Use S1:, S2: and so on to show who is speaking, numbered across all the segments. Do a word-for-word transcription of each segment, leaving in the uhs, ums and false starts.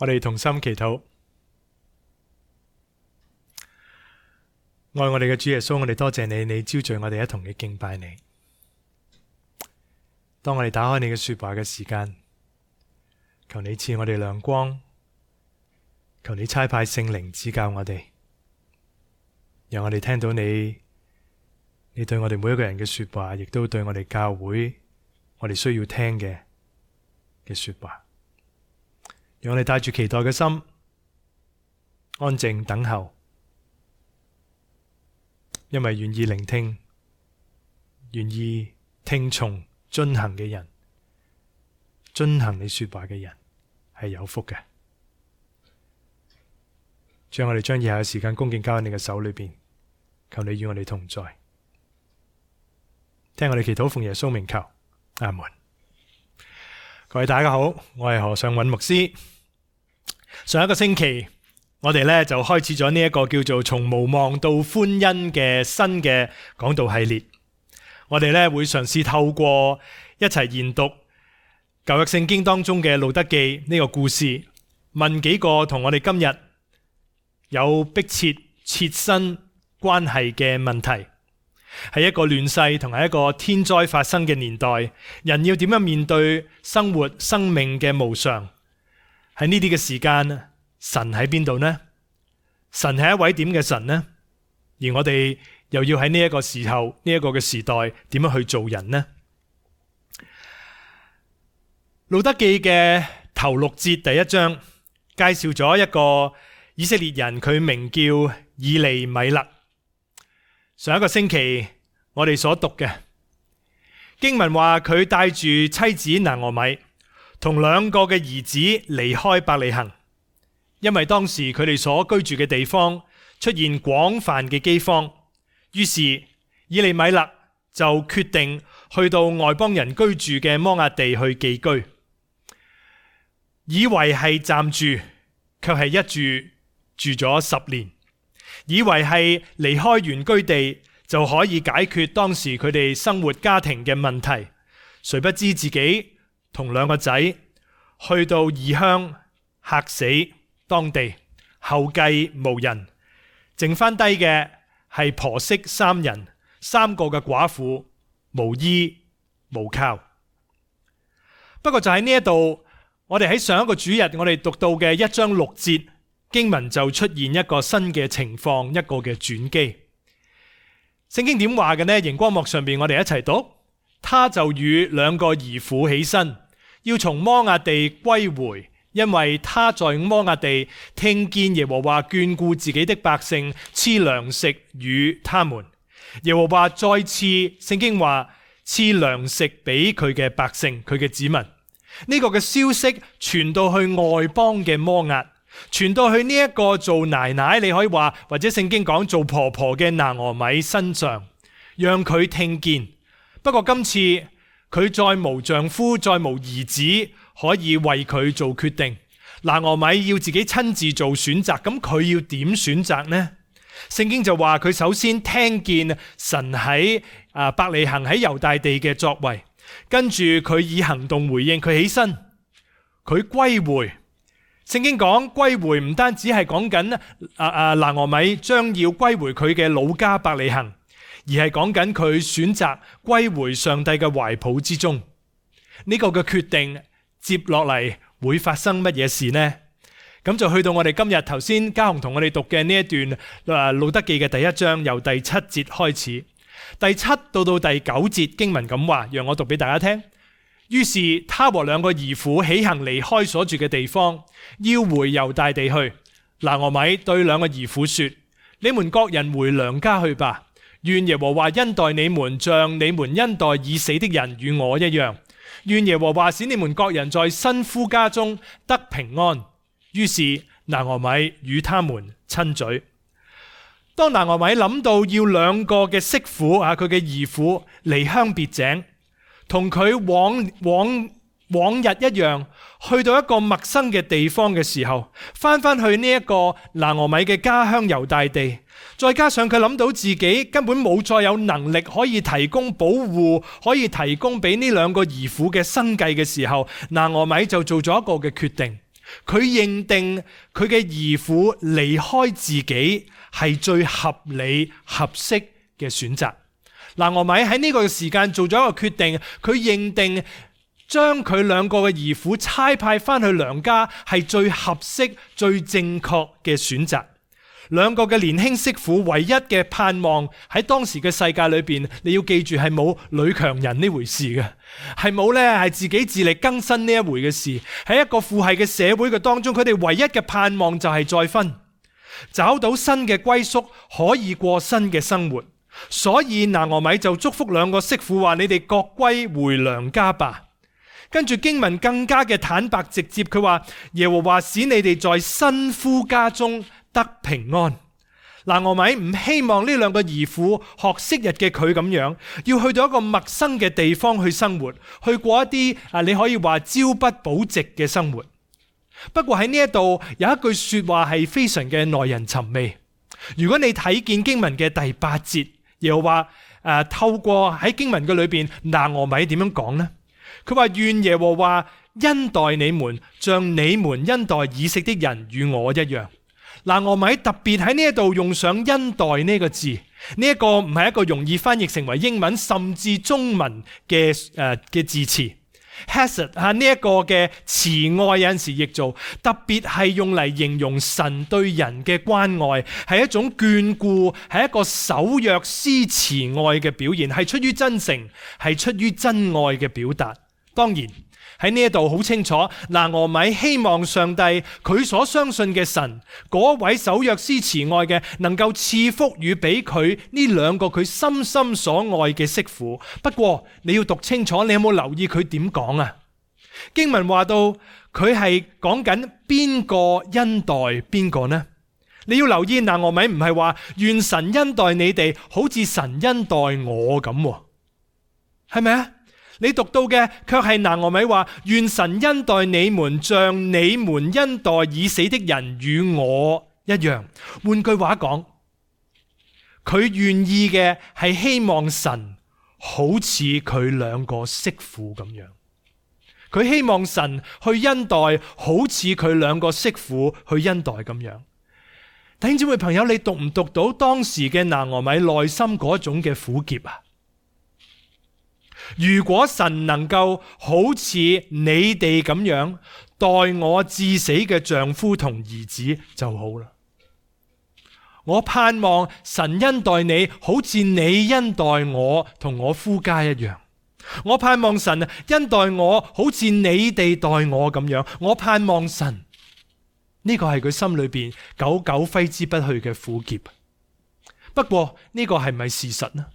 S1: 我哋同心祈禱。愛我哋嘅主耶穌，我哋多謝你，你招聚我哋一同嘅敬拜你。當我哋打開你嘅說話嘅時間，求你賜我哋亮光，求你差派聖靈指教我哋，讓我哋聽到你，你對我哋每一個人嘅說話，亦都對我哋教會，我哋需要聽嘅嘅說話。讓我哋帶住期待嘅心，安靜等候，因為願意聆聽、願意聽從、遵行嘅人，遵行你說話嘅人係有福嘅。將我哋將以下嘅時間恭敬交喺你嘅手裏邊，求你與我哋同在。聽我哋祈禱，奉耶穌名求，阿門。各位大家好，我係何尚允牧師。上一個星期，我哋咧就開始咗呢一個叫做從無望到歡欣嘅新嘅講道系列。我哋咧會嘗試透過一齊研讀舊約聖經當中嘅路得記呢個故事，問幾個同我哋今日有迫切切身關係嘅問題。係一個亂世同埋一個天災發生嘅年代，人要點樣面對生活生命嘅無常？喺呢啲嘅時間，神喺邊度呢？神係一位點嘅神呢？而我哋又要喺呢一個時候，呢一個嘅時代，點樣去做人呢？路得記嘅頭六節第一章介紹咗一個以色列人，佢名叫以利米勒。上一個星期我哋所讀嘅經文話，佢帶住妻子拿俄米同兩個嘅兒子離開伯利恆，因為當時佢哋所居住嘅地方出現廣泛嘅饑荒，於是以利米勒就決定去到外邦人居住嘅摩押地去寄居，以為係暫住，卻係一住住咗十年。以為係離開原居地就可以解決當時佢哋生活家庭嘅問題，誰不知自己同兩個仔去到異鄉，嚇死當地，後繼無人，剩翻低嘅係婆媳三人，三個嘅寡婦，無依無靠。不過就喺呢一度，我哋喺上一個主日我哋讀到嘅一章六節經文就出現一個新嘅情況，一個嘅轉機。聖經點話嘅呢？熒光幕上邊我哋一齊讀。他就與兩個兒婦起身，要從摩押地歸回，因為他在摩押地聽見耶和華眷顧自己的百姓，賜糧食與他們。耶和華再次，聖經話賜糧食俾佢嘅百姓，佢嘅子民。呢個嘅消息傳到去外邦嘅摩押，傳到去呢一個做奶奶，你可以話，或者聖經講做婆婆嘅拿俄米身上，讓佢聽見。不過今次佢再無丈夫，再無兒子可以為佢做決定，拿俄米要自己親自做選擇，咁佢要點選擇呢？聖經就話佢首先聽見神喺啊伯利恆喺猶大地嘅作為，跟住佢以行動回應，佢起身，佢歸回。聖經講歸回唔單止係講緊啊啊拿俄米將要歸回佢嘅老家伯利恆，而係講緊佢選擇歸回上帝嘅懷抱之中。呢個嘅決定接落嚟會發生乜嘢事呢？咁就去到我哋今日頭先嘉雄同我哋讀嘅呢一段啊路得記嘅第一章，由第七節開始，第七到到第九節經文咁話，讓我讀俾大家聽。於是他和兩個兒婦起行離開所住嘅地方，要回猶大地去。拿俄米對兩個兒婦說：你們各人回娘家去吧，願耶和華恩待你們，像你們恩待已死的人與我一樣。願耶和華使你們各人在新夫家中得平安。於是拿俄米與他們親嘴。當拿俄米諗到要兩個嘅媳婦啊，佢嘅兒婦離鄉別井，同佢往往往日一樣，去到一個陌生嘅地方嘅時候，翻翻去呢一個拿俄米嘅家鄉猶大地，再加上佢諗到自己根本冇再有能力可以提供保護，可以提供俾呢兩個兒婦嘅生計嘅時候，拿俄米就做咗一個嘅決定。佢認定佢嘅兒婦離開自己係最合理合適嘅選擇。拿俄米喺呢個時間做咗一個決定，佢認定將佢兩個嘅兒婦差派翻去娘家係最合適、最正確嘅選擇。兩個嘅年輕媳婦唯一嘅盼望喺當時嘅世界裏邊，你要記住係冇女強人呢回事嘅，係冇咧係自己自力更生呢一回嘅事。喺一個父系嘅社會嘅當中，佢哋唯一嘅盼望就係再婚，找到新嘅歸宿，可以過新嘅生活。所以拿俄米就祝福兩個媳婦話：你哋各歸回娘家吧。跟住經文更加嘅坦白直接，佢話耶和華使你哋在新夫家中得平安。拿俄米唔希望呢兩個兒婦學昔日嘅佢咁樣，要去到一個陌生嘅地方去生活，去過一啲啊你可以話朝不保夕嘅生活。不過喺呢一度有一句說話係非常嘅耐人尋味。如果你睇見經文嘅第八節，又話誒透過喺經文嘅裏邊，拿俄米點樣講呢？佢話願耶和華恩待你們，像你們恩待以色列的人與我一樣。拿俄米特別喺呢一度用上恩待呢個字，呢、這、一個唔係一個容易翻譯成為英文甚至中文嘅誒嘅字詞。Hesed 啊，呢一個嘅慈愛有陣時譯做，特別係用嚟形容神對人嘅關愛，係一種眷顧，係一個守約施慈愛嘅表現，係出於真誠，係出於真愛嘅表達。當然喺呢一度好清楚，拿俄米希望上帝佢所相信嘅神，嗰位守約施慈愛嘅，能夠賜福與俾佢呢兩個佢深深所愛嘅媳婦。不過你要讀清楚，你有冇留意佢點講啊？經文話到佢係講緊邊個恩待邊個呢？你要留意，拿俄米唔係話願神恩待你哋，好似神恩待我咁，係咪啊？你讀到嘅卻係拿俄米話願神恩待你們，像你們恩待已死的人與我一樣。換句話講，佢願意嘅係希望神好似佢兩個媳婦咁樣，佢希望神去恩待好似佢兩個媳婦去恩待咁樣。弟兄姊妹朋友，你讀唔讀到當時嘅拿俄米內心嗰種嘅苦澀啊？如果神能夠好似你哋咁樣待我至死嘅丈夫同兒子就好啦。我盼望神恩待你好似你恩待我同我夫家一樣。我盼望神恩待我好似你哋待我咁樣。我盼望神，呢個係佢心裏邊久久揮之不去嘅苦澀。不過呢個係咪事實呢？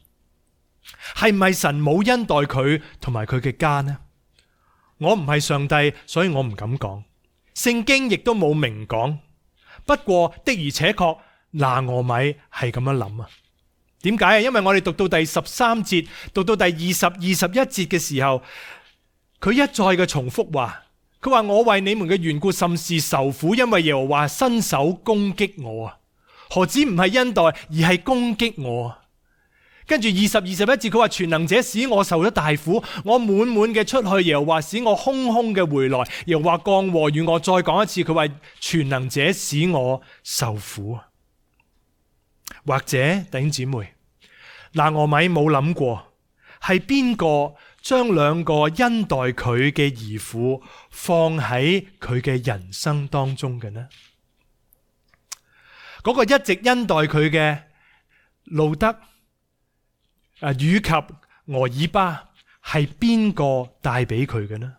S1: 係咪神冇恩待佢同埋佢嘅家呢？我唔係上帝，所以我唔敢講。聖經亦都冇明講。不過的而且確，拿俄米係咁樣諗啊。點解啊？因為我哋讀到第十三節，讀到第二十、二十一節嘅時候，佢一再嘅重複話，佢話我為你們嘅緣故甚是受苦，因為耶和華伸手攻擊我啊。何止唔係恩待，而係攻擊我啊。跟住二十、二十一節，佢話全能者使我受咗大苦，我滿滿嘅出去，耶和華使我空空嘅回來，耶和華降禍與我。再講一次，佢話全能者使我受苦。或者弟兄姊妹，拿俄米冇諗過係邊個將兩個恩待佢嘅兒婦放喺佢嘅人生當中嘅呢？嗰個一直恩待佢嘅路德啊，以及俄珥巴係邊個帶俾佢嘅呢？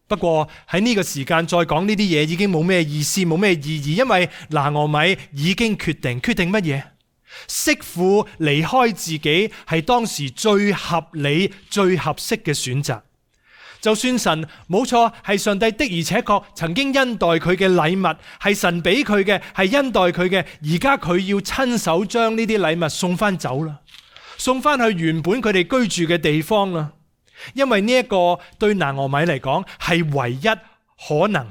S1: 不過喺呢個時間再講呢啲嘢已經冇咩意思，冇咩意義，因為拿俄米已經決定，決定乜嘢？媳婦離開自己係當時最合理、最合適嘅選擇。就算神冇錯，係上帝的而且確曾經恩待佢嘅禮物，係神俾佢嘅，係恩待佢嘅，而家佢要親手將呢啲禮物送翻走啦。送翻去原本佢哋居住嘅地方啦，因為呢一個對拿俄米嚟講係唯一可能，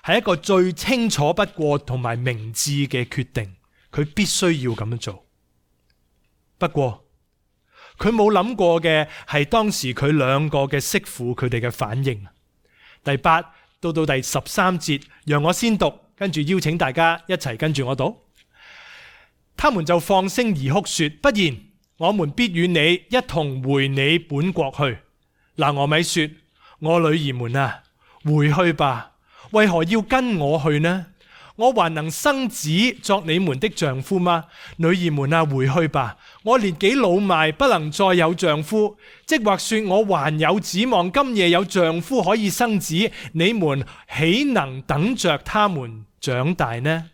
S1: 係一個最清楚不過同埋明智嘅決定，佢必須要咁樣做。不過佢冇諗過嘅係當時佢兩個嘅媳婦佢哋嘅反應。第八、到到第十三節，讓我先讀，跟住邀請大家一齊跟住我讀。他們就放聲而哭說，不然我們必與你一同回你本國去。拿俄米說，我女兒們啊，回去吧，為何要跟我去呢？我還能生子作你們的丈夫嗎？女兒們啊，回去吧，我年紀老邁，不能再有丈夫。即或說我還有指望，今夜有丈夫可以生子，你們豈能等着他們長大呢？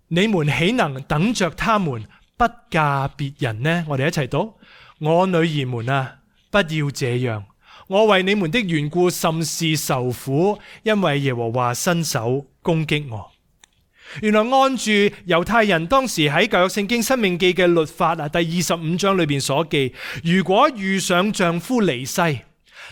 S1: 你們豈能等着他們不嫁別人呢？我哋一齊讀，我女兒們啊，不要這樣。我為你們的緣故甚是受苦，因為耶和華伸手攻擊我。原來按住猶太人當時喺舊約聖經申命記嘅律法啊，第二十五章裏邊所記，如果遇上丈夫離世，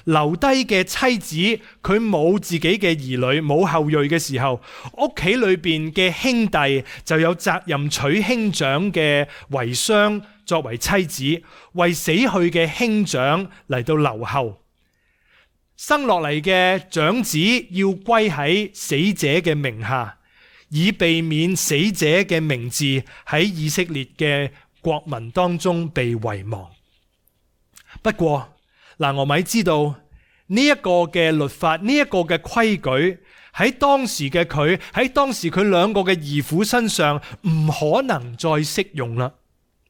S1: 留低嘅妻子佢冇自己嘅兒女冇後裔嘅時候，屋企裏邊嘅兄弟就有責任娶兄長嘅遺孀作為妻子，為死去嘅兄長嚟到留後。生落嚟嘅長子要歸喺死者嘅名下，以避免死者嘅名字喺以色列嘅國民當中被遺忘。不過拿俄米知道呢一個嘅律法，呢一個嘅規矩喺當時嘅佢，喺當時佢兩個嘅兒婦身上唔可能再適用啦。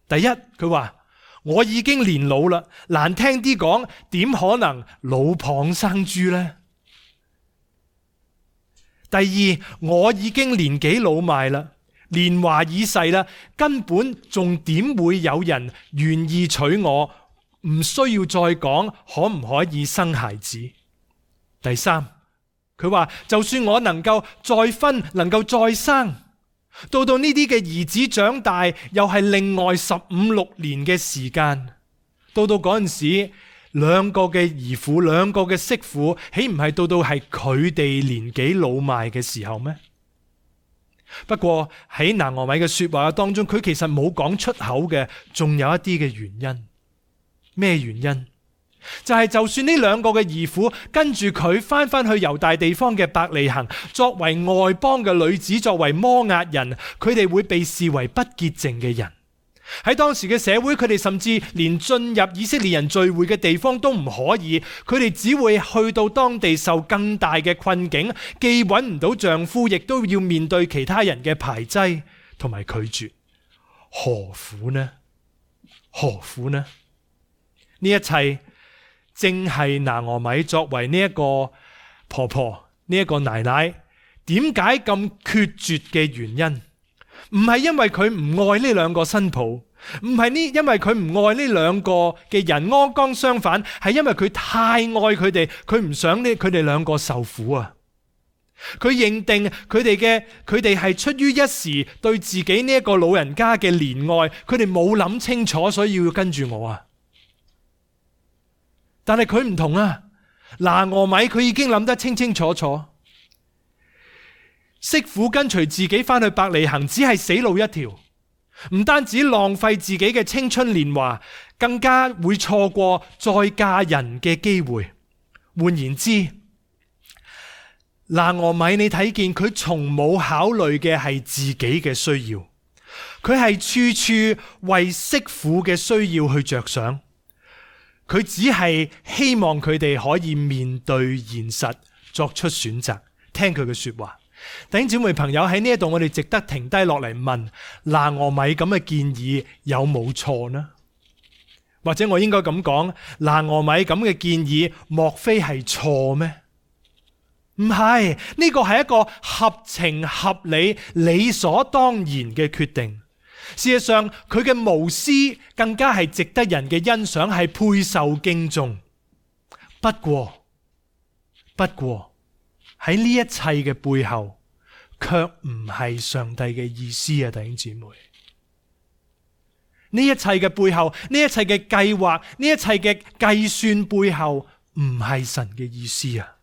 S1: 第一，佢話我已經年老啦，難聽啲講，點可能老蚌生珠呢？第二，我已經年紀老邁啦，年華已逝啦，根本仲點會有人願意娶我？唔需要再講可唔可以生孩子。第三，佢話就算我能夠再婚，能夠再生，到到呢啲嘅兒子長大，又係另外十五六年嘅時間。到到嗰陣時，兩個嘅兒婦，兩個嘅媳婦，豈唔係到到係佢哋年紀老邁嘅時候咩？不過喺拿俄米嘅說話當中，佢其實冇講出口嘅，仲有一啲嘅原因。咩原因？就係、是、就算呢兩個嘅兒婦跟住佢翻翻去猶大地方嘅伯利恆，作為外邦嘅女子，作為摩押人，佢哋會被視為不潔淨嘅人。喺當時嘅社會，佢哋甚至連進入以色列人聚會嘅地方都唔可以，佢哋只會去到當地受更大嘅困境，既揾唔到丈夫，亦都要面對其他人嘅排擠同埋拒絕。何苦呢？何苦呢？呢一切正係拿俄米作為呢一個婆婆，呢一個奶奶，點解咁決絕嘅原因？唔係因為佢唔愛呢兩個新抱，唔係呢，因為佢唔愛呢兩個嘅人，剛剛相反，係因為佢太愛佢哋，佢唔想呢佢哋兩個受苦啊！佢認定佢哋嘅佢哋係出於一時對自己呢一個老人家嘅憐愛，佢哋冇諗清楚，所以要跟住我啊！但係佢唔同啊，拿俄米佢已經諗得清清楚楚，媳婦跟隨自己翻去伯利恆，只係死路一條，唔單止浪費自己嘅青春年華，更加會錯過再嫁人嘅機會。換言之，拿俄米你睇見佢從冇考慮嘅係自己嘅需要，佢係處處為媳婦嘅需要去着想。佢只係希望佢哋可以面對現實，作出選擇，聽佢嘅說話。弟兄姊妹朋友，喺呢一度，我哋值得停低落嚟問，拿俄米咁嘅建議有冇錯呢？或者我應該咁講，拿俄米咁嘅建議莫非係錯咩？唔係，呢個係一個合情合理、理所當然嘅決定。事實上，佢嘅無私更加係值得人嘅欣賞，係配受敬重。不過，不過喺呢一切嘅背後，卻唔係上帝嘅意思啊！弟兄姊妹，呢一切嘅背後，呢一切嘅計劃，呢一切嘅計算背後，唔係神嘅意思啊！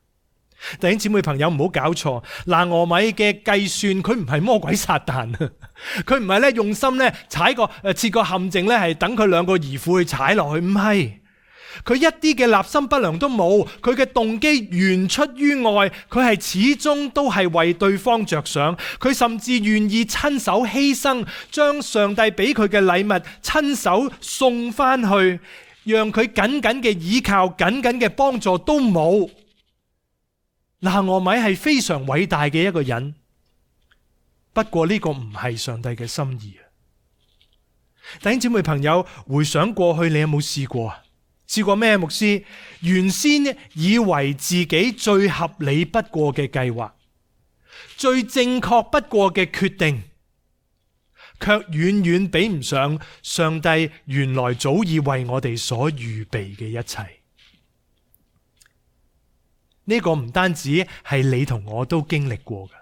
S1: 弟兄姊妹朋友，唔好搞錯，拿俄米嘅計算佢唔係魔鬼撒旦啊，佢唔係咧用心咧踩個誒設個陷阱咧係等佢兩個兒婦去踩落去，唔係，佢一啲嘅立心不良都冇，佢嘅動機原出於愛，佢係始終都係為對方着想，佢甚至願意親手犧牲，將上帝俾佢嘅禮物親手送翻去，讓佢緊緊嘅依靠、緊緊嘅幫助都冇。拿俄米係非常偉大嘅一個人，不過呢個唔係上帝嘅心意。弟兄姊妹朋友，回想過去，你有冇試過啊？試過咩？牧師原先以為自己最合理不過嘅計劃，最正確不過嘅決定，卻遠遠比唔上上帝原來早已為我哋所預備嘅一切。呢個唔單止係你同我都經歷過嘅。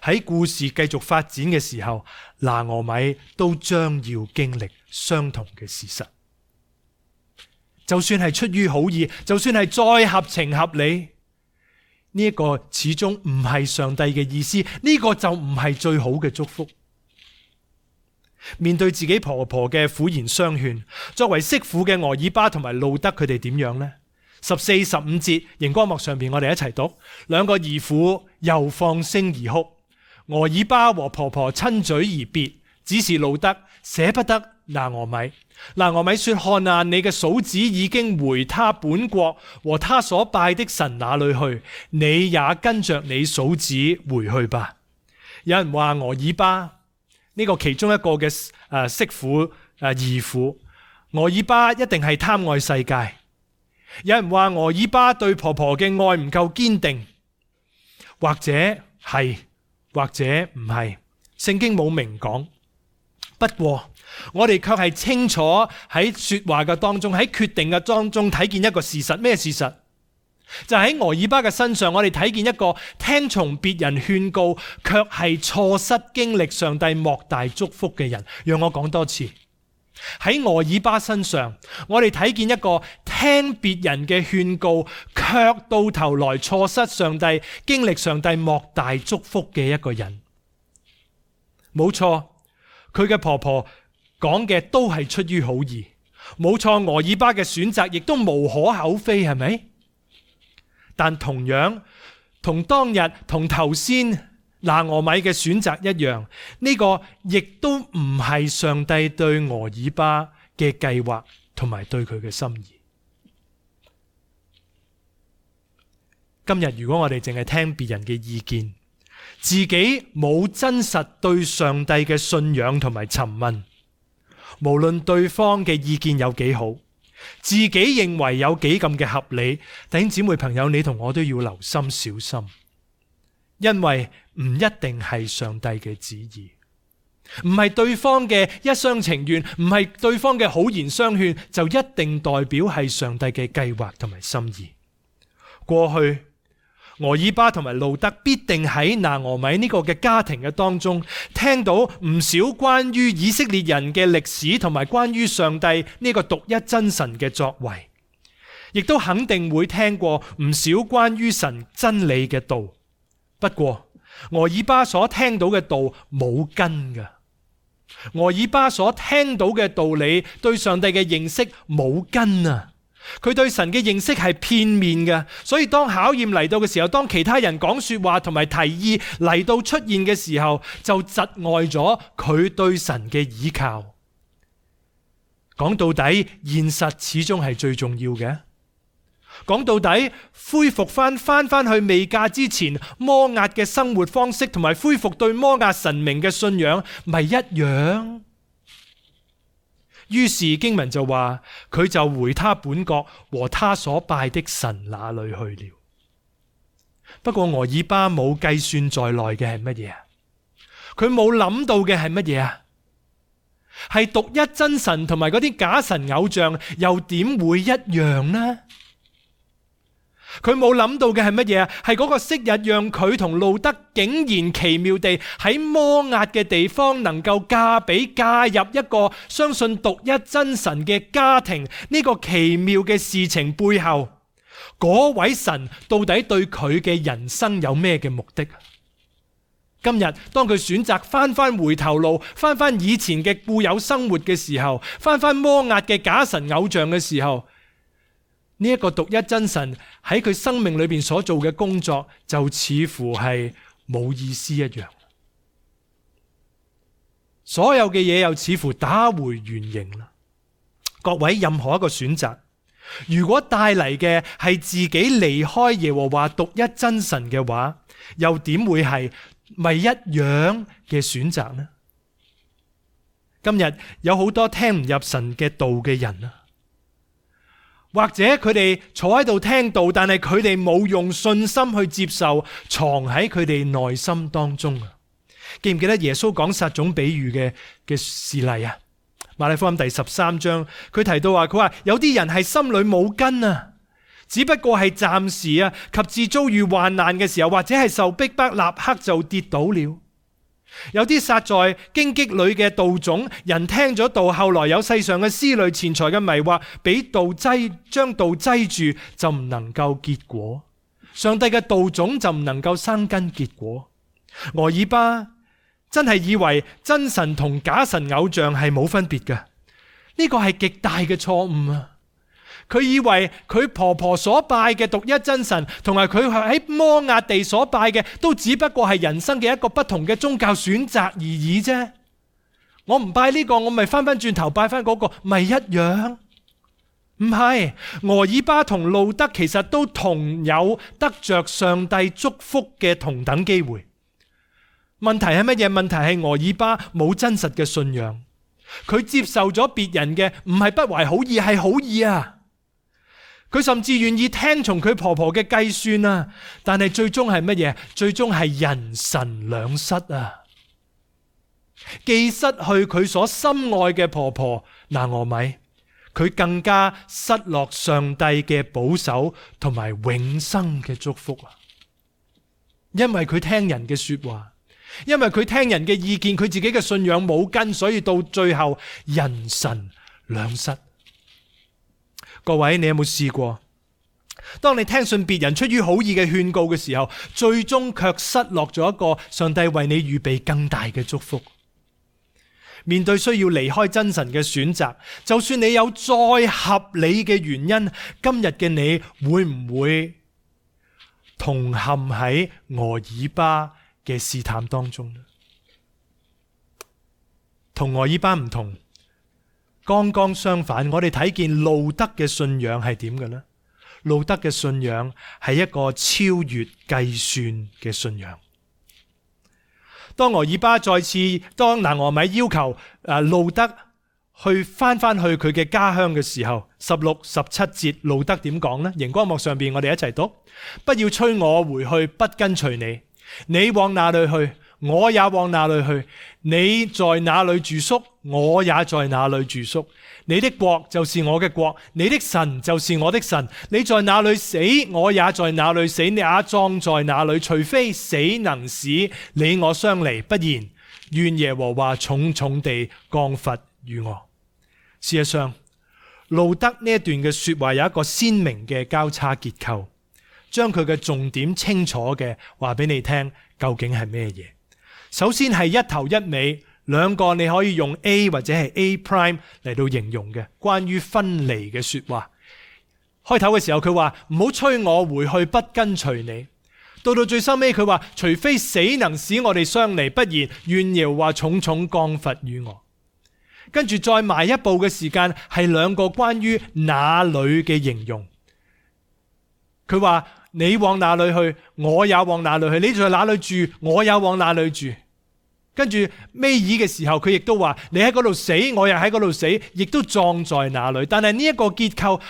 S1: 喺故事繼續發展嘅時候，拿俄米都將要經歷相同嘅事實。就算係出於好意，就算係再合情合理，呢一個始終唔係上帝嘅意思，呢個就唔係最好嘅祝福。面對自己婆婆嘅苦言相勸，作為媳婦嘅俄珥巴同埋路得，佢哋點樣呢？十四、十五節熒光幕上邊，我哋一齊讀。兩個兒婦又放聲而哭，俄珥巴和婆婆親嘴而別，只是路得捨不得拿俄米。拿俄米說：看啊，你嘅嫂子已經回他本國和他所拜的神那裏去，你也跟着你嫂子回去吧。有人話俄珥巴呢個其中一個嘅誒媳婦誒義婦，俄珥巴一定係貪愛世界。有人話俄珥巴對婆婆嘅愛唔夠堅定，或者係，或者唔係，聖經冇明講。不過我哋卻係清楚喺說話嘅當中，喺決定嘅當中睇見一個事實。咩事實？就喺俄珥巴嘅身上，我哋睇見一個聽從別人勸告，卻係錯失經歷上帝莫大祝福嘅人。讓我講多次，喺俄珥巴身上，我哋睇見一個聽別人嘅勸告，卻到頭來錯失上帝經歷上帝莫大祝福嘅一個人。冇錯，佢嘅婆婆講嘅都係出於好意，冇錯，俄珥巴嘅選擇亦都無可厚非，係咪？但同樣同當日同頭先拿俄米嘅選擇一樣，呢個亦都唔係上帝對俄珥巴嘅計劃同埋對佢嘅心意。今日如果我哋淨係聽別人嘅意見，自己冇真實對上帝嘅信仰同埋詢問，無論對方嘅意見有幾好，自己認為有幾咁嘅合理，弟兄姊妹朋友，你同我都要留心小心，因為唔一定係上帝嘅旨意，唔係對方嘅一廂情願，唔係對方嘅好言相勸，就一定代表係上帝嘅計劃同埋心意。過去俄珥巴同埋路得必定喺拿俄米呢個嘅家庭嘅當中，聽到唔少關於以色列人嘅歷史同埋關於上帝呢個獨一真神嘅作為，亦都肯定會聽過唔少關於神真理嘅道。不過俄珥巴所聽到嘅道冇根㗎，俄珥巴所聽到嘅道理對上帝嘅認識冇根啊！佢對神嘅認識係片面嘅，所以當考驗嚟到嘅時候，當其他人講說話同埋提議嚟到出現嘅時候，就窒礙咗佢對神嘅倚靠。講到底，現實始終係最重要嘅。講到底，恢復翻翻翻去未嫁之前摩押嘅生活方式，同埋恢復對摩押神明嘅信仰，咪一樣。於是經文就話，佢就回他本國和他所拜的神那裏去了。不過俄珥巴冇計算在內嘅係乜嘢啊？佢冇諗到嘅係乜嘢啊？係獨一真神同埋嗰啲假神偶像又點會一樣呢？佢冇諗到嘅係乜嘢啊？係嗰個昔日讓佢同路得竟然奇妙地喺摩押嘅地方能夠嫁俾嫁入一個相信獨一真神嘅家庭，呢個奇妙嘅事情背後，嗰位神到底對佢嘅人生有咩嘅目的？今日當佢選擇翻翻回頭路，翻翻以前嘅固有生活嘅時候，翻翻摩押嘅假神偶像嘅時候，呢一個獨一真神喺佢生命裏邊所做嘅工作，就似乎係冇意思一樣。所有嘅嘢又似乎打回原形啦。各位，任何一個選擇，如果帶嚟嘅係自己離開耶和華獨一真神嘅話，又點會係咪一樣嘅選擇呢？今日有好多聽唔入神嘅道嘅人啊，或者佢哋坐喺度聽道，但係佢哋冇用信心去接受，藏喺佢哋內心當中啊。記唔記得耶穌講撒種比喻嘅嘅事例啊？馬太福音第十三章，佢提到話，佢話有啲人係心裏冇根啊，只不過係暫時啊，及至遭遇患難嘅時候，或者係受逼迫，立刻就跌倒了。有啲撒在荊棘裏嘅道種，人聽咗道，後來有世上嘅思慮、錢財嘅迷惑，俾道擠，將道擠住，就唔能夠結果。上帝嘅道種就唔能夠生根結果。俄珥巴真係以為真神同假神偶像係冇分別嘅，呢個係極大嘅錯誤啊！佢以為佢婆婆所拜嘅獨一真神，同埋佢喺摩押地所拜嘅，都只不過係人生嘅一個不同嘅宗教選擇而已啫。我唔拜呢個，我咪翻翻轉頭拜翻嗰個，咪一樣？唔係，俄珥巴同路得其實都同有得着上帝祝福嘅同等機會。問題係乜嘢？問題係俄珥巴冇真實嘅信仰，佢接受咗別人嘅，唔係不懷好意，係好意啊！佢甚至願意聽從佢婆婆嘅計算啊，但係最終係乜嘢？最終係人神兩失啊！既失去佢所深愛嘅婆婆拿俄米，佢更加失落上帝嘅保守同埋永生嘅祝福啊！因為佢聽人嘅說話，因為佢聽人嘅意見，佢自己嘅信仰冇根，所以到最後人神兩失。各位，你有冇試過？當你聽信別人出於好意嘅勸告嘅時候，最終卻失落咗一個上帝為你預備更大嘅祝福。面對需要離開真神嘅選擇，就算你有再合理嘅原因，今日嘅你會唔會同陷喺俄珥巴嘅試探當中呢？同俄珥巴唔同，剛剛相反，我哋睇見路得嘅信仰係點嘅呢？路得嘅信仰係一個超越計算嘅信仰。當俄珥巴再次，當拿俄米要求誒路得去翻翻去佢嘅家鄉嘅時候，十六、十七節路得點講呢？熒光幕上邊我哋一齊讀：不要催我回去，不跟隨你。你往哪裏去，我也往哪裏去；你在哪裏住宿，我也在哪裏住宿。你的國就是我嘅國，你的神就是我的神。你在哪裏死，我也在哪裏死，你也葬在哪裏。除非死能使你我相離，不然願耶和華重重地降罰與我。事實上，路得呢一段嘅說話有一個鮮明嘅交叉結構，將佢嘅重點清楚嘅話俾你聽，究竟係咩嘢？首先係一頭一尾兩個你可以用 A 或者係 A prime 嚟到形容嘅關於分離嘅說話。開頭嘅時候佢話唔好催我回去，不跟隨你。到到最收尾佢話除非死能使我哋相離，不然願耶和華重重降罰與我。跟住再埋一步嘅時間係兩個關於哪裏嘅形容。佢話你往哪裏去，我也往哪裏去；你在哪裏住，我也往哪裏住。跟住尾二嘅時候，佢亦都話你喺嗰度死，我也喺嗰度死，亦都葬在哪裏。但係呢一個結構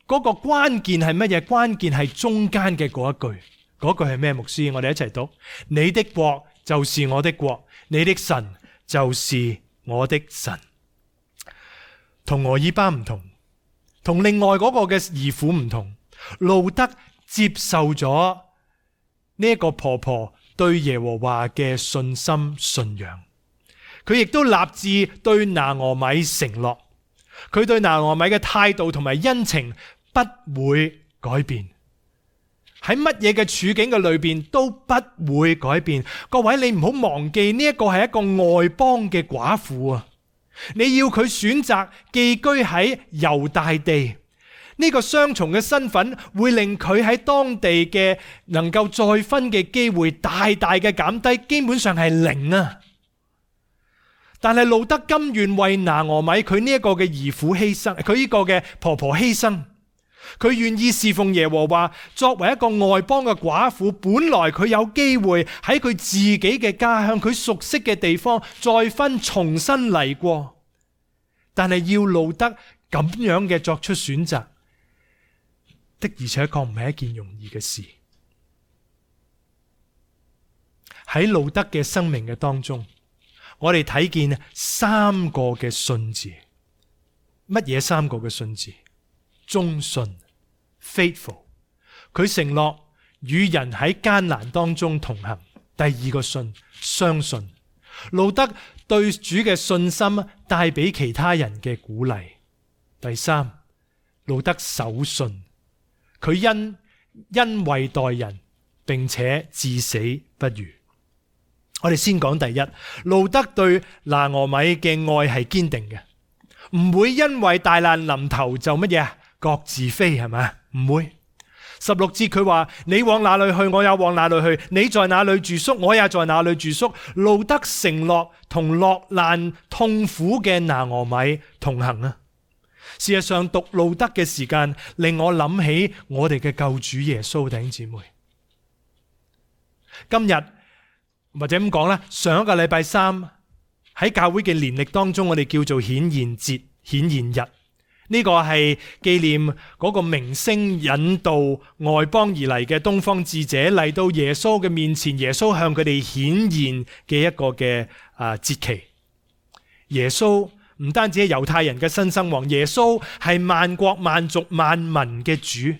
S1: 嗰個關鍵係乜嘢？關鍵係中間嘅嗰一句，嗰句係咩？牧師，我哋一齊讀：你的國就是我的國，你的神就是我的神。同俄珥巴唔同，同另外嗰個嘅兒婦唔同，路得接受咗呢一個婆婆對耶和華嘅信心信仰，佢亦都立志對拿俄米承諾，佢對拿俄米嘅態度同埋恩情不會改變，喺乜嘢嘅處境嘅裏邊都不會改變。各位，你唔好忘記呢一個係一個外邦嘅寡婦啊！你要佢選擇寄居喺猶大地，呢個雙重嘅身份會令佢喺當地嘅能夠再婚嘅機會大大嘅減低，基本上係零啊。但係路德甘願為拿俄米佢呢一個嘅兒婦犧牲，佢呢個嘅婆婆犧牲，佢願意侍奉耶和華。作為一個外邦嘅寡婦，本來佢有機會喺佢自己嘅家鄉，佢熟悉嘅地方再婚重新嚟過，但係要路德咁樣嘅作出選擇，的而且確唔係一件容易嘅事。喺路德嘅生命嘅當中，我哋睇見三個嘅信字。乜嘢三個嘅信字？忠信 faithful， 佢承諾與人喺艱難當中同行。第二個信，相信。路德對主嘅信心帶俾其他人嘅鼓勵。第三，路德守信，佢因因為待人，並且至死不渝。我哋先講第一，路德對拿俄米嘅愛係堅定嘅，唔會因為大難臨頭就乜嘢各自飛，係咪？唔會。十六節佢話：你往哪裏去，我也往哪裏去；你在哪裏住宿，我也在哪裏住宿。路德承諾同落難痛苦嘅拿俄米同行啊！事實上，讀路德嘅時間令我諗起我哋嘅救主耶穌。弟兄姊妹，今日或者咁講啦，上一個禮拜三喺教會嘅年曆當中，我哋叫做顯現節、顯現日。呢個係紀念嗰個明星引導外邦而嚟嘅東方智者嚟到耶穌嘅面前，耶穌向佢哋顯現嘅一個嘅啊節期。耶穌唔單止係猶太人嘅新生王，耶穌係萬國萬族萬民嘅主。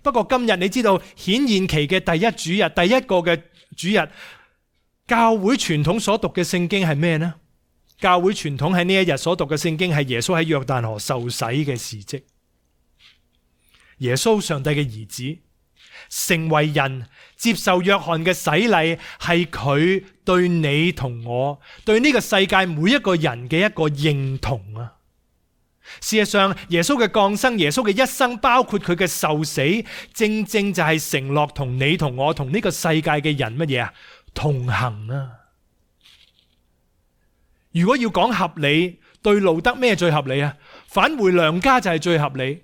S1: 不過今日你知道顯現期嘅第一主日，第一個嘅主日，教會傳統所讀嘅聖經係咩呢？教會傳統喺呢一日所讀嘅聖經係耶穌喺約旦河受洗嘅事蹟。耶穌上帝嘅兒子成為人，接受約翰嘅洗禮，係佢對你同我，對呢個世界每一個人嘅一個認同啊！事實上，耶穌嘅降生，耶穌嘅一生，包括佢嘅受死，正正就係承諾同你同我，同呢個世界嘅人乜嘢啊？同行啊！如果要講合理，對路德咩最合理啊？返回娘家就係最合理。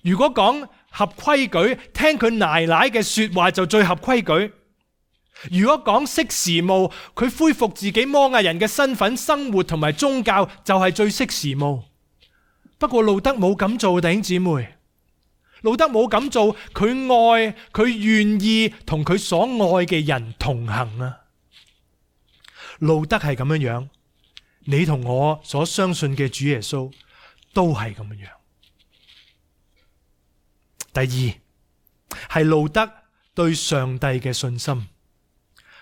S1: 如果講合規矩，聽佢奶奶嘅說話就最合規矩。如果講識時務，佢恢復自己摩亞人嘅身份、生活同埋宗教就係最識時務。不過路德冇咁做，弟兄姊妹，路德冇咁做，佢愛，佢願意同佢所愛嘅人同行啊！路德係咁樣樣，你同我所相信嘅主耶穌都係咁樣樣。第二係路德對上帝嘅信心，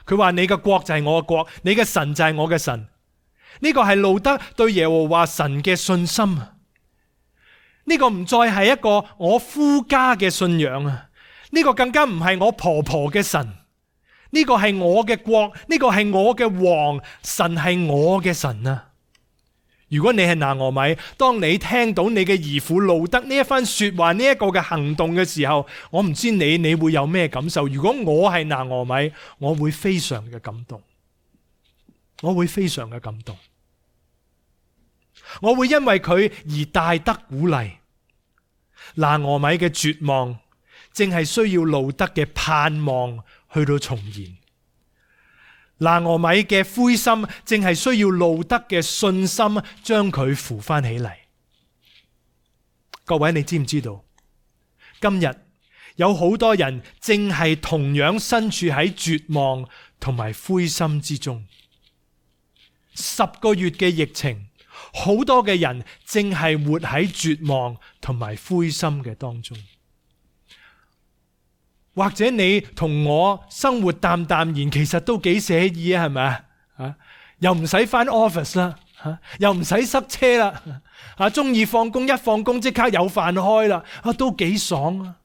S1: 佢話你嘅國就係我嘅國，你嘅神就係我嘅神。呢個係路德對耶和華神嘅信心。呢個唔再係一個我夫家嘅信仰啊！呢個更加唔係我婆婆嘅神。呢個係我嘅國，呢個係我嘅王，神係我嘅神啊！如果你係拿俄米，當你聽到你嘅兒婦路德呢一番說話，呢一個嘅行動嘅時候，我唔知你你會有咩感受？如果我係拿俄米，我會非常嘅感動，我會非常嘅感動，我會因為佢而大得鼓勵。拿俄米嘅絕望，正係需要路德嘅盼望去到重燃。拿俄米嘅灰心，正係需要路德嘅信心將佢扶翻起嚟。各位，你知唔知道？今日有好多人正係同樣身處喺絕望同埋灰心之中。十個月嘅疫情，好多嘅人正係活喺絕望同埋灰心嘅當中。或者你同我生活淡淡然，其實都幾寫意啊，係咪啊？又唔使返 office 啦，又唔使塞車啦，啊，中意放工一放工即刻有飯開啦，啊，都幾爽啊！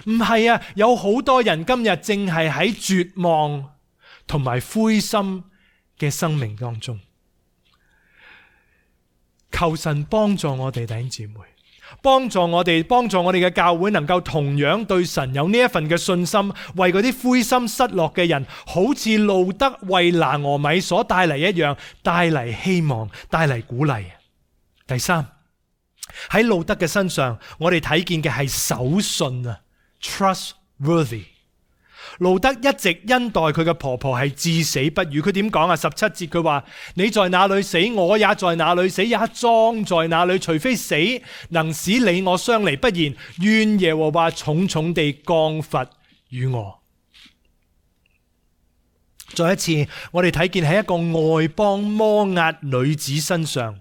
S1: 唔係啊，有好多人今日正係喺絕望同埋灰心嘅生命當中。求神幫助我哋弟兄姊妹，幫助我哋，幫助我哋嘅教會能夠同樣對神有呢一份嘅信心，為嗰啲灰心失落嘅人，好似路得為拿俄米所帶嚟一樣，帶嚟希望，帶嚟鼓勵。第三，喺路得嘅身上，我哋睇見嘅係守信啊 ，trustworthy。路得一直恩待佢嘅婆婆係至死不渝。佢點講啊？十七節佢話：你在哪裏死，我也在哪裏死，也葬在哪裏。除非死能使你我相離，不然願耶和華重重地降罰與我。再一次，我哋睇見喺一個外邦摩押女子身上，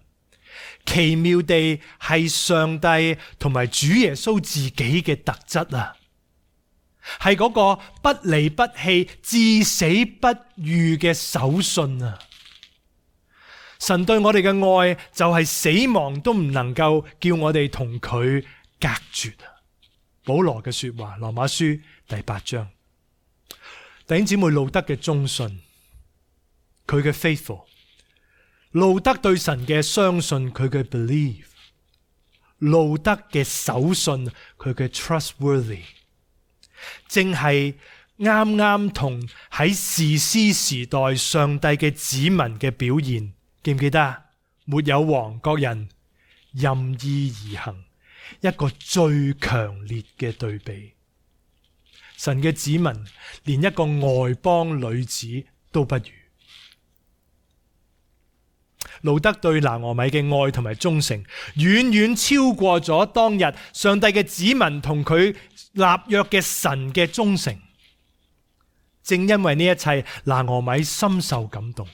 S1: 奇妙地係上帝同埋主耶穌自己嘅特質啊！係嗰個不離不棄、至死不渝嘅守信啊！神對我哋嘅愛就係死亡都唔能夠叫我哋同佢隔絕啊！保羅嘅說話，羅馬書第八章，弟兄姊妹，路得嘅忠信，佢嘅 faithful， 路得對神嘅相信，佢嘅 believe， 路得嘅守信，佢嘅 trustworthy。正係啱啱同喺士師時代上帝嘅子民嘅表現，記唔記得啊？沒有王，各人任意而行，一個最強烈嘅對比。神嘅子民連一個外邦女子都不如。路得對拿俄米嘅愛同埋忠誠，遠遠超過咗當日上帝嘅子民同佢立約嘅神嘅忠誠。正因為呢一切，拿俄米深受感動。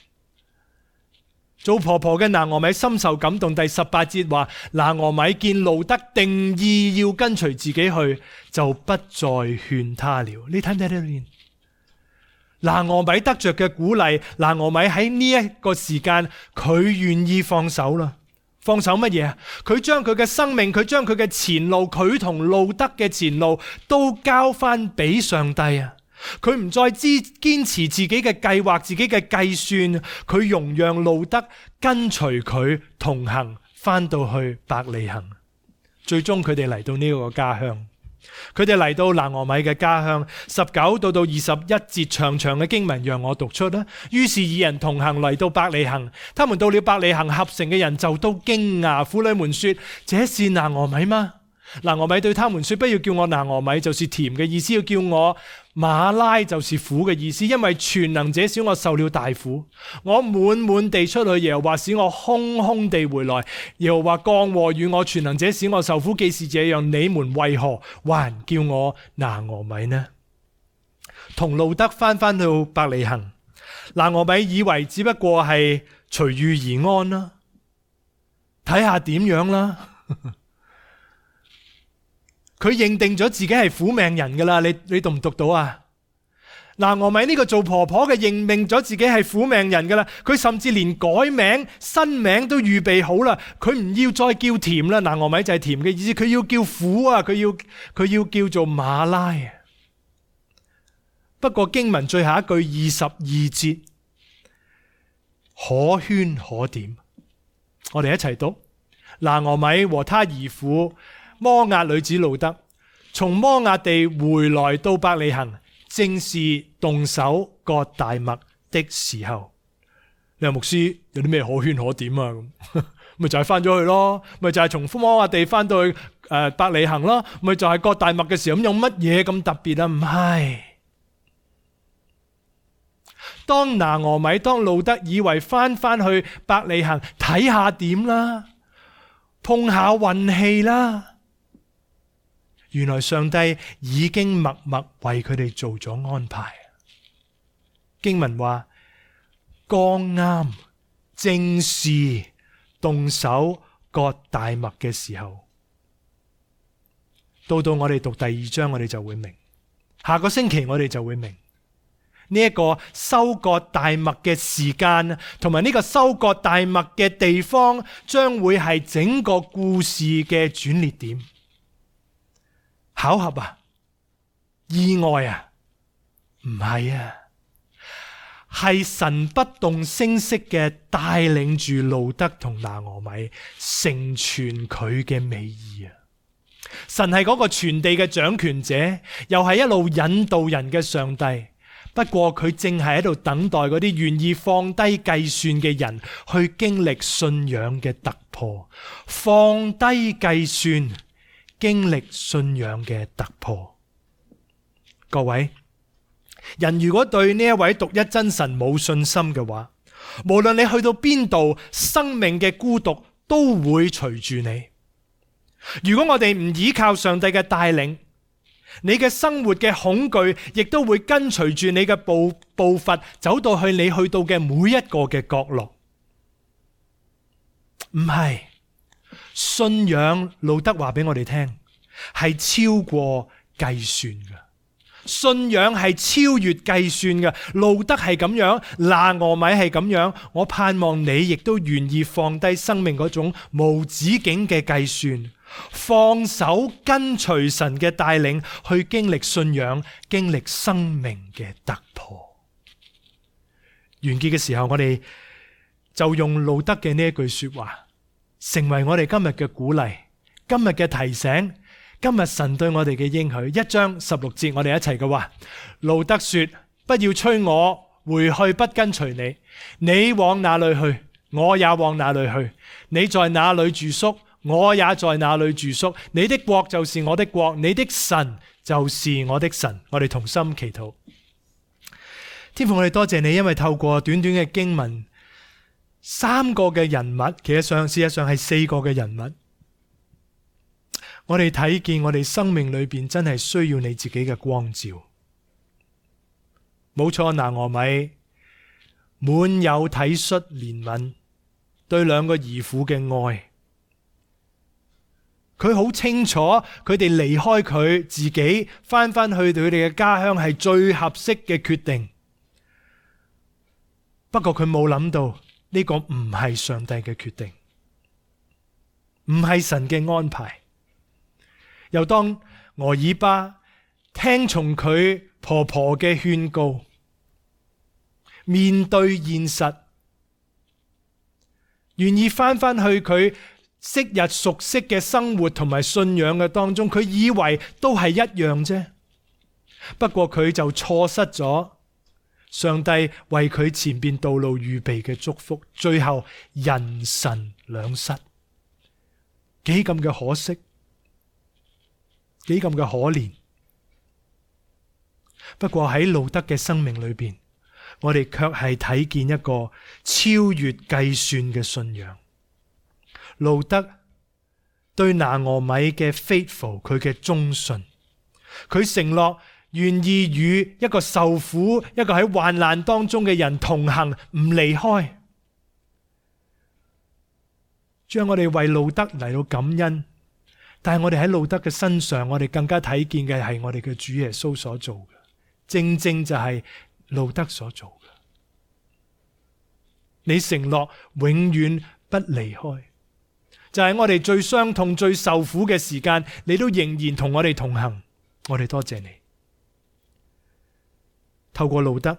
S1: 做婆婆嘅拿俄米深受感動。第十八節話，拿俄米見路得定意要跟隨自己去，就不再勸他了。你睇唔睇到呢？拿俄米得着嘅鼓勵，拿俄米喺呢一個時間，佢願意放手啦。放手乜嘢啊？佢將佢嘅生命，佢將佢嘅前路，佢同路得嘅前路都交翻俾上帝啊！佢唔再支堅持自己嘅計劃，自己嘅計算，佢容讓路得跟隨佢同行，翻到去伯利恆。最終佢哋嚟到呢個家鄉。佢哋嚟到拿俄米嘅家鄉，十九到到二十一節長長嘅經文讓我讀出啦。於是二人同行嚟到伯利恆，他們到了伯利恆，合城嘅人就都驚訝，婦女們說：這是拿俄米嗎？拿俄米對他們說：不要叫我拿俄米，就是甜嘅意思；要叫我馬拉，就是苦嘅意思。因為全能者使我受了大苦，我滿滿地出去，耶和華使我空空地回來。耶和華降禍與我，全能者使我受苦。既是這樣，你們為何還叫我拿俄米呢？同路得翻翻到伯利恆，拿俄米以為只不過係隨遇而安啦，睇下點樣啦。佢認定咗自己係苦命人噶啦，你你讀唔讀到啊？拿俄米呢個做婆婆嘅認定咗自己係苦命人噶啦，佢甚至連改名新名都預備好啦。佢唔要再叫甜啦，拿俄米就係甜嘅意思，佢要叫苦啊，佢要佢要叫做馬拉。不過經文最後一句二十二節可圈可點，我哋一齊讀。拿俄米和他兒婦摩押女子路得從摩押地回來到伯利恆，正是動手割大麥的時候。你話牧師有啲咩可圈可點啊？咁咪就係翻咗去咯，咪就係從摩押地翻到去誒伯利恆咯，咪就係割大麥嘅時候。咁有乜嘢咁特別啊？唔係。當拿俄米當路得以為翻翻去伯利恆睇下點啦，碰下運氣啦。原來上帝已經默默為佢哋做咗安排。經文話，剛啱正是動手割大麥嘅時候。到到我哋讀第二章，我哋就會明。下個星期我哋就會明呢一個收割大麥嘅時間，同埋呢個收割大麥嘅地方，將會係整個故事嘅轉捩點。巧合啊？意外啊？唔係啊，係神不動聲色嘅帶領住路得同拿俄米成全佢嘅美意啊！神係嗰個全地嘅掌權者，又係一路引導人嘅上帝。不過佢正係喺度等待嗰啲願意放低計算嘅人去經歷信仰嘅突破，放低計算，經歷信仰嘅突破。各位，人如果對呢一位獨一真神冇信心嘅話，無論你去到邊度，生命嘅孤獨都會隨住你。如果我哋唔依靠上帝嘅帶領，你嘅生活嘅恐懼亦都會跟隨住你嘅步步伐走到去你去到嘅每一個嘅角落。唔係，信仰，路德話俾我哋聽，係超過計算嘅。信仰係超越計算嘅。路德係咁樣，拿俄米係咁樣。我盼望你亦都願意放低生命嗰種無止境嘅計算，放手跟隨神嘅帶領，去經歷信仰，經歷生命嘅突破。完結嘅時候，我哋就用路德嘅呢一句說話，成為我哋今日嘅鼓勵，今日嘅提醒，今日神對我哋嘅應許。一章十六節，我哋一齊嘅話，路德說：不要催我回去，不跟隨你。你往哪裏去，我也往哪裏去。你在哪裏住宿，我也在那裏住宿。你的國就是我的國，你的神就是我的神。我哋同心祈禱。天父，我哋多謝你，因為透過短短嘅經文，三個嘅人物，其實上事實上係四個嘅人物，我哋睇見我哋生命裏邊真係需要你自己嘅光照。冇錯，拿俄米滿有體恤憐憫，對兩個兒婦嘅愛。佢好清楚，佢哋離開佢自己，翻返去佢哋嘅家鄉係最合適嘅決定。不過佢冇諗到呢個唔係上帝嘅決定，唔係神嘅安排。又當俄珥巴聽從佢婆婆嘅勸告，面對現實，願意翻返去佢昔日熟悉嘅生活同埋信仰嘅當中，佢以為都係一樣啫。不過佢就錯失咗上帝為佢前邊道路預備嘅祝福，最後人神兩失，幾咁嘅可惜，幾咁嘅可憐。不過喺路德嘅生命裏邊，我哋卻係睇見一個超越計算嘅信仰。路德對拿俄米嘅 faithful， 佢嘅忠信，佢承諾願意與一個受苦、一個喺患難當中嘅人同行，唔離開。將我哋為路德嚟到感恩，但係我哋喺路德嘅身上，我哋更加睇見嘅係我哋嘅主耶穌所做嘅，正正就係路德所做嘅。你承諾永遠不離開，就係我哋最傷痛、最受苦嘅時間，你都仍然同我哋同行。我哋多謝你。透過路德，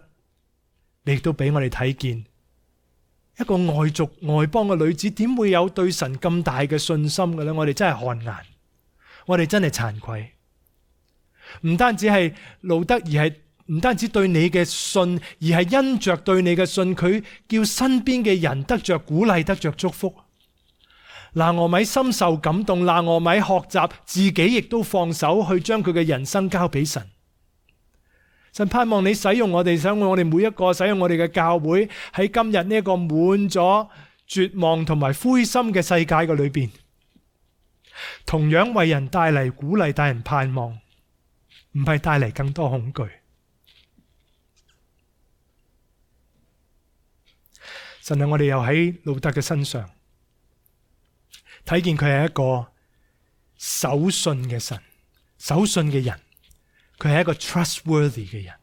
S1: 你亦都俾我哋睇見一個外族外邦嘅女子點會有對神咁大嘅信心嘅咧？我哋真係汗顏，我哋真係慚愧。唔單止係路德，而係唔單止對你嘅信，而係因着對你嘅信，佢叫身邊嘅人得着鼓勵，得着祝福。拿俄米深受感動，拿俄米學習自己亦都放手去將佢嘅人生交俾神。神盼望你使用我哋，使用我哋每一個，使用我哋嘅教會，喺今日呢一個滿咗絕望同埋灰心嘅世界嘅裏邊，同樣為人帶嚟鼓勵，帶人盼望，唔係帶嚟更多恐懼。神啊，我哋又喺路德嘅身上睇見佢係一個守信嘅神，守信嘅人。佢係一個 trustworthy 嘅人。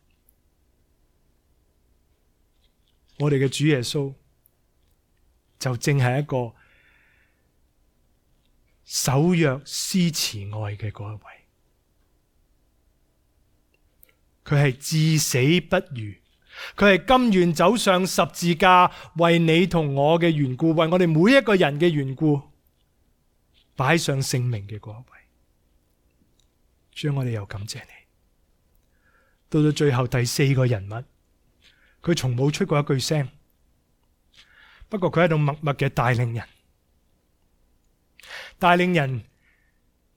S1: 我哋嘅主耶穌就正係一個守約施慈愛嘅嗰一位。佢係至死不渝，佢係甘願走上十字架，為你同我嘅緣故，為我哋每一個人嘅緣故，擺上性命嘅嗰一位。主，我哋又感謝你。到到最後第四個人物，佢從冇出過一句聲，不過佢喺度默默嘅帶領人，帶領人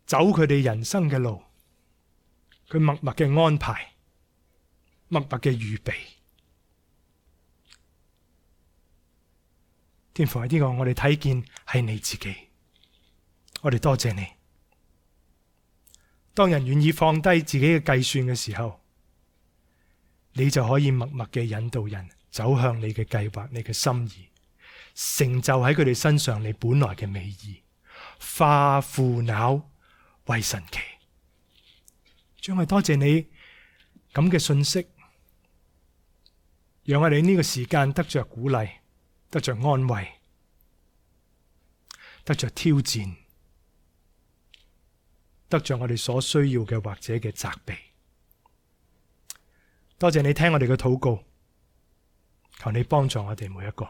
S1: 走佢哋人生嘅路，佢默默嘅安排，默默嘅預備。天父，喺呢個我哋睇見係你自己，我哋多謝你。當人願意放低自己嘅計算嘅時候，你就可以默默嘅引導人走向你嘅計劃，你嘅心意，成就喺佢哋身上你本來嘅美意，化腐朽為神奇。主，我哋多謝你咁嘅信息，讓我哋呢個時間得着鼓勵，得着安慰，得着挑戰，得着我哋所需要嘅或者嘅責備。多謝你聽我哋嘅禱告，求你幫助我哋每一個。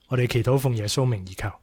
S1: 我哋祈禱奉耶穌名而求。